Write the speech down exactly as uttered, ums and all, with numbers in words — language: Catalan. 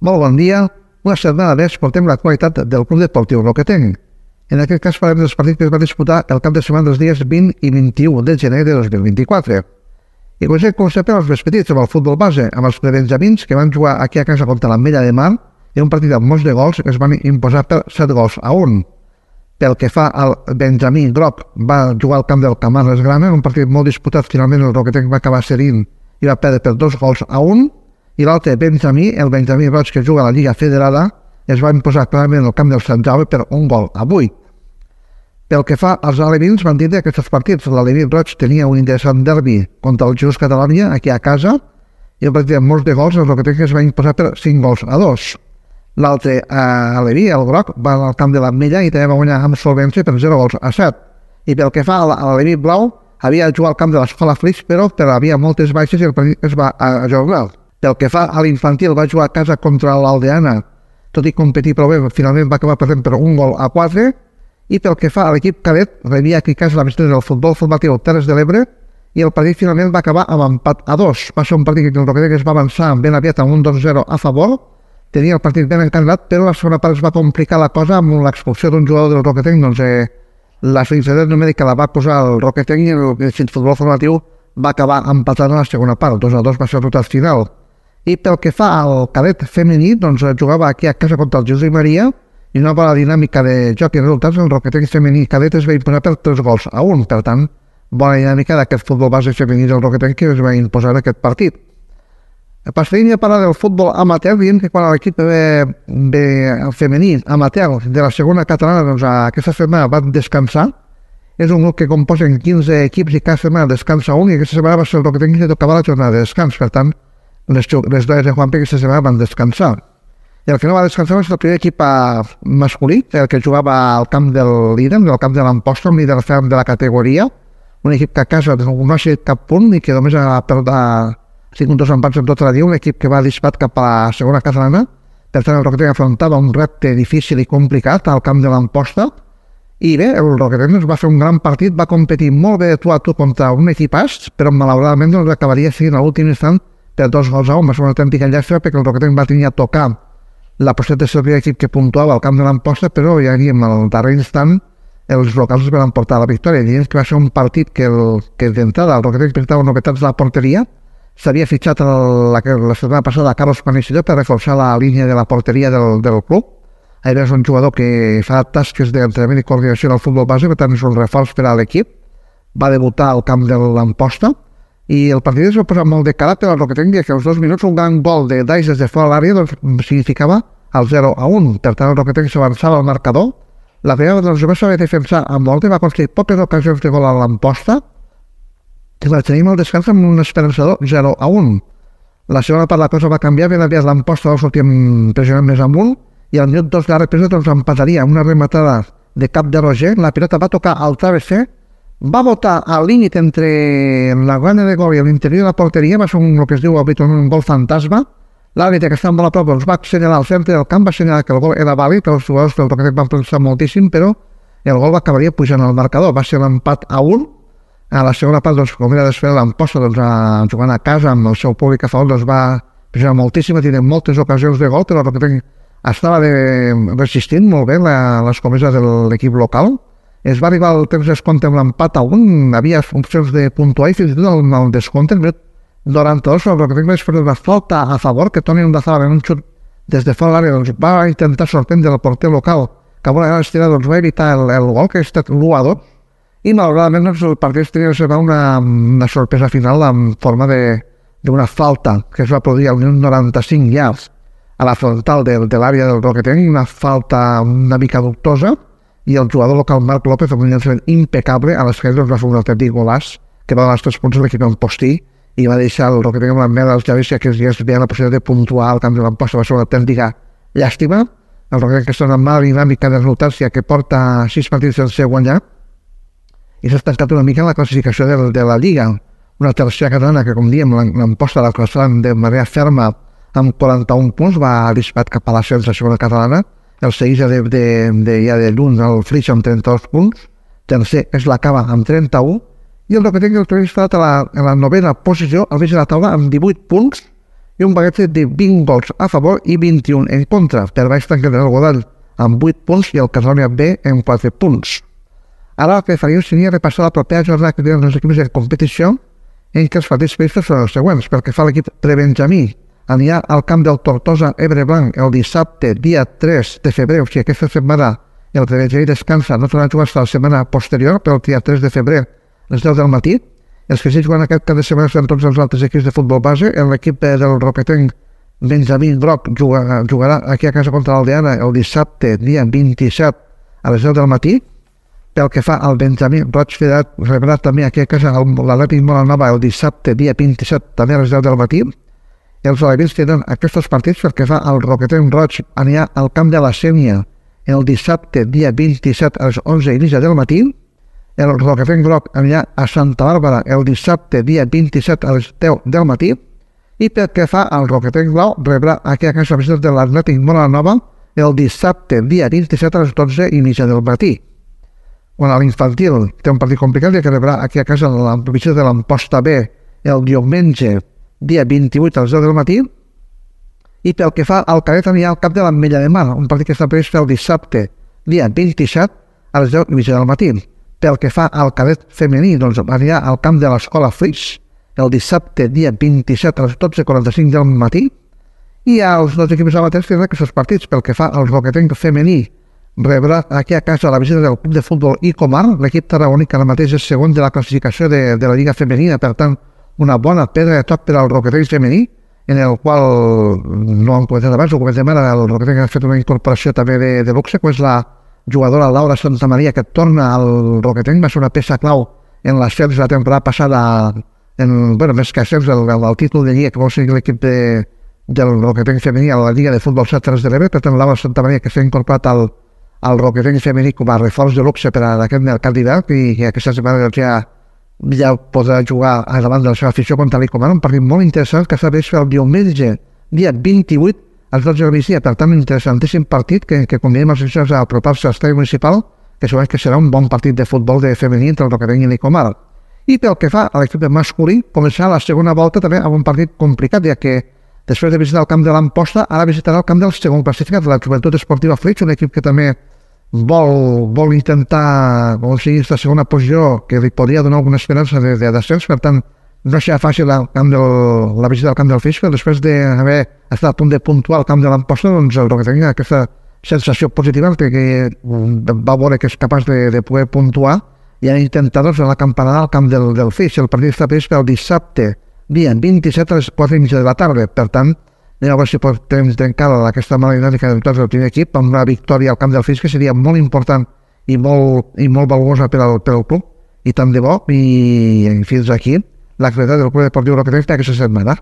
Molt bon dia. Una setmana més portem l'actualitat del Club Deportiu Roquetenc. En aquest cas parlem dels partits que es van disputar el cap de setmana dels dies vint i vint-i-u de gener de dos mil vint-i-quatre. I comencem, com sempre, els més petits, amb el futbol base, amb els prebenjamins que van jugar aquí a casa contra l'Ametlla de Mar en un partit amb molts de gols que es van imposar per set gols a un. Pel que fa al Benjamí groc, va jugar al camp del Camarles Grana, un partit molt disputat. Finalment el Roquetenc va acabar cedint i va perdre per dos gols a un. I l'altre Benjamí, el Benjamí Roig, que juga a la Lliga Federada, es va imposar clarament al camp del Sant Jaume per un gol a vuit. Pel que fa als alevins, van tindre aquests partits. L'Aleví Roig tenia un interessant derbi contra el Just Catalunya, aquí a casa, i el partit amb molts de gols, el Roquetenc es va imposar per cinc gols a dos. L'altre eh, Aleví, el groc, va al camp de l'Ametlla i també va guanyar amb solvència per zero gols a set. I pel que fa a l'Aleví blau, havia de jugar al camp de l'Escola Flix, però, però havia moltes baixes i el partit es va ajornar. Pel que fa a l'infantil, va jugar a casa contra l'Aldeana, tot i competir prou bé, finalment va acabar perdent per un gol a quatre. I pel que fa a l'equip cadet, rebia aquí a casa la visita del futbol formatiu Terres de l'Ebre i el partit finalment va acabar amb empat a dos. Va ser un partit que el Roquetenc es va avançar ben aviat amb un dos zero a favor, tenia el partit ben encarrilat, però la segona part es va complicar la cosa amb l'expulsió d'un jugador del Roquetenc. Doncs eh, la felicitat numèrica la va posar el Roquetenc i el, el futbol formatiu va acabar empatant a la segona part. dos a dos va ser el resultat final. I pel que fa al cadet femení, doncs jugava aquí a casa contra el Josep Maria i una bona dinàmica de joc i resultats. El Roquetenc femení cadet es va imposar per tres gols a un. Per tant, bona dinàmica d'aquest futbol base femení del Roquetenc que es va imposar aquest partit. Passarem a parlar del futbol amateur, dient que quan l'equip ve, ve el femení amateur de la segona catalana, doncs aquesta setmana van descansar. És un grup que composen quinze equips i cada setmana descansa un, i aquesta setmana va ser el Roquetenc que tocava la jornada de descans. Per tant, les, les dones de Juanpe aquesta setmana van descansar. I el que no va descansar és el primer equip masculí, el que jugava al camp del líder, del camp de l'Amposta, un líder ferm de la categoria, un equip que a casa no ha sigut cap punt i que només ha perdut cinc dos empats en tota la dia, un equip que va disparat cap a la segona catalana. Per tant, el Roquetenc afrontava un repte difícil i complicat al camp de l'Amposta. I bé, el Roquetenc va fer un gran partit, va competir molt bé de tu a tu contra un equipàs, però malauradament doncs, acabaria sent a l'últim instant per dos gols a un. Va ser una autèntica llàstima perquè el Roquetenc va tenir a tocar la possibilitat de ser el primer equip que puntuava al camp de l'Amposta, però ja diguem, al darrer instant els locals es van emportar la victòria. Diguem que va ser un partit que, el, que d'entrada el Roquetenc presentava novetats de la porteria. S'havia fitxat el, la, la setmana passada a Carlos Panicello per reforçar la línia de la porteria del, del club. Era un jugador que fa tasques d'entrenament i coordinació del futbol base, per tant és un reforç per a l'equip. Va debutar al camp de l'Amposta i el partit es va posar molt de cara per al Roquetenc, que als dos minuts un gran gol de Dais des de fora de l'àrea doncs, significava el zero a un. Per tant, el Roquetenc s'avançava al marcador. La primera doncs, va saber defensar amb volta i va aconseguir poques ocasions de gol a l'Amposta i la tenim al descans amb un esperançador zero a un. La segona part la cosa va canviar, ben aviat l'Amposta va sortir pressionant més amunt i al minut dos de la represa doncs, empataria una rematada de cap de Roger. La pilota va tocar al travesser, va botar al límit entre la guanya de gol i l'interior de la porteria. Va ser un, el que es diu habitualment un gol fantasma. L'àrbitre, que estava molt a prop, doncs, va assenyalar al centre del camp, va assenyalar que el gol era vàlid, els jugadors del Roquetenc van pensar moltíssim, però el gol acabaria pujant al marcador. Va ser l'empat a un. A la segona part, doncs, com era d'esperar, l'Amposta, doncs, a, jugant a casa amb el seu públic a favor, doncs, va pressionar moltíssim, va tenir moltes ocasions de gol, però el Roquetenc estava de, resistint molt bé la, l'escomesa de l'equip local. Es va arribar al temps d'escompte amb l'empat a un, havia opcions de puntuar i fins i tot el, el descompte, el minut noranta-dos, el Roquetenc va esperar una falta a favor, que Toni Ondazabal en un xut des de fora l'àrea doncs, va intentar sorprendre el porter local, que amb una gran estirada doncs, va evitar el, el gol, que ha estat l'u a dos, i malauradament doncs, el partit tenia una, una sorpresa final en forma d'una falta que es va produir al minut noranta-cinc ja a la frontal de, de l'àrea del Roquetenc, una falta una mica dubtosa, i el jugador local Marc López, amb un llançament impecable a l'esquerra, doncs, va fer un autèntic golàs que va donar els tres punts de l'equip en postí i va deixar el Roquetenc amb la merda dels llavis, i aquests dies veien la possibilitat de puntuar al camp de l'Amposta. Va ser una autèntica llàstima. El Roquetenc, que està en una mala dinàmica de resultats, ja que porta sis partits sense guanyar i s'ha estancat una mica en la classificació de, de la Lliga. Una tercera catalana que, com diem, l'Amposta la classava de manera ferma amb quaranta-un punts, va disparat cap a l'ascens de la segona catalana. El segueix de, de, de, ja de lluny el Flix amb trenta-dos punts, tercer és la Cava amb trenta-un, i el Roquetenc, el que ha instal·lat a la, a la novena posició, al mig de la taula, amb divuit punts, i un bagatge de vint gols a favor i vint-i-un en contra. Per baix tanquen el Godall amb vuit punts i el Casònia B amb quatre punts. Ara el que faríem seria repassar la propera jornada que tenen els equips de competició, en què els partits previstos són els següents. Pel que fa a l'equip prebenjamí, anirà al camp del Tortosa Ebre Blanc el dissabte, dia tres de febrer, o sigui, aquesta setmana el prebenjamí descansa, no tornarà a jugar fins la setmana posterior, però el dia tres de febrer, a les deu del matí. Els que sí juguen aquest cap de setmana són tots els altres equips de futbol base. L'equip del Roquetenc Benjamí Groc jugarà, jugarà aquí a casa contra l'Aldeana el dissabte, dia vint-i-set, a les deu del matí. Pel que fa al Benjamí Roig Federat, rebrà també aquí a casa l'Atlètic Molanova el dissabte, dia vint-i-set, també a les deu del matí. Els alevins tenen aquests partits. Pel que fa al Roquetenc Roig, anirà al camp de la Sénia el dissabte, dia vint-i-set, a les onze i mitja del matí. El Roquetenc Groc anirà a Santa Bàrbara el dissabte, dia vint-i-set, a les deu del matí. I pel que fa al Roquetenc Blau, rebrà aquí a casa la visita de l'Atlètic Molanova el dissabte, dia vint-i-set, a les dotze i mitja del matí. Quan a l'infantil té un partit complicat, ja que rebrà aquí a casa la visita de l'Amposta B el diumenge, dia vint-i-vuit, a les deu del matí. I pel que fa al cadet, anirà al camp de l'Ametlla de Mar, un partit que està previst el dissabte, dia vint-i-set, a les deu i mitja del matí. Pel que fa al cadet femení, doncs anirà al camp de l'Escola Flix el dissabte, dia vint-i-set, a les dotze i quaranta-cinc del matí. I els dos equips amateurs tenen aquests partits. Pel que fa al Roquetenc femení, rebrà aquí a casa la visita del club de futbol Icomar. L'equip tarragoní que ara mateix és segon de la classificació de, de la Lliga Femenina, per tant, una bona pedra de toc per al Roquetenc femení, en el qual, no hem comentat abans, ho comentem ara, el Roquetenc ha fet una incorporació també de, de luxe, que és la jugadora Laura Santamaria, que torna al Roquetenc. Va ser una peça clau en l'ascens de la temporada passada, en, bueno, més que ascens, el, el, el títol de Lliga que vol seguir l'equip de, del Roquetenc femení a la Lliga de Futbol set Terres de l'Ebre. Per tant, Laura Santamaria, que s'ha incorporat al el Roquetenc femení com a reforç de luxe per a aquest mercat d'hivern, i que aquesta setmana ja, ja podrà jugar davant de la seva afició contra l'Icomar, un partit molt interessant que s'ha vist el diumenge, dia vint-i-vuit, als dotze del migdia. Per tant, un interessantíssim partit que, que convidem els aficionats a apropar-se a l'estadi municipal, que segurament que serà un bon partit de futbol de femení entre el Roquetenc i l'Icomar. I pel que fa a l'equip masculí, començarà la segona volta també amb un partit complicat, ja que després de visitar el camp de l'Amposta, ara visitarà el camp del segon classificat, de la Joventut Esportiva Flix, un equip que també vol, vol intentar aconseguir aquesta segona posició, que li podria donar alguna esperança de, de descens. Per tant, no serà fàcil el camp del, la visita al camp del Flix, però després d'haver estat a punt de puntuar al camp de l'Amposta, doncs el Roquetenc tenia aquesta sensació positiva que, que va veure que és capaç de, de poder puntuar, i han intentat doncs, la campanada al camp del, del Flix. El partit està previst pel dissabte, dia vint-i-set, a les quatre i mitja de la tarda. Per tant, anem a veure si podem trencar aquesta mala dinàmica de del primer equip amb una victòria al camp del Flix, que seria molt important i molt, i molt valuosa per al, per al club. I tant de bo, i fins aquí l'activitat del Club Deportiu Roquetenc aquesta setmana.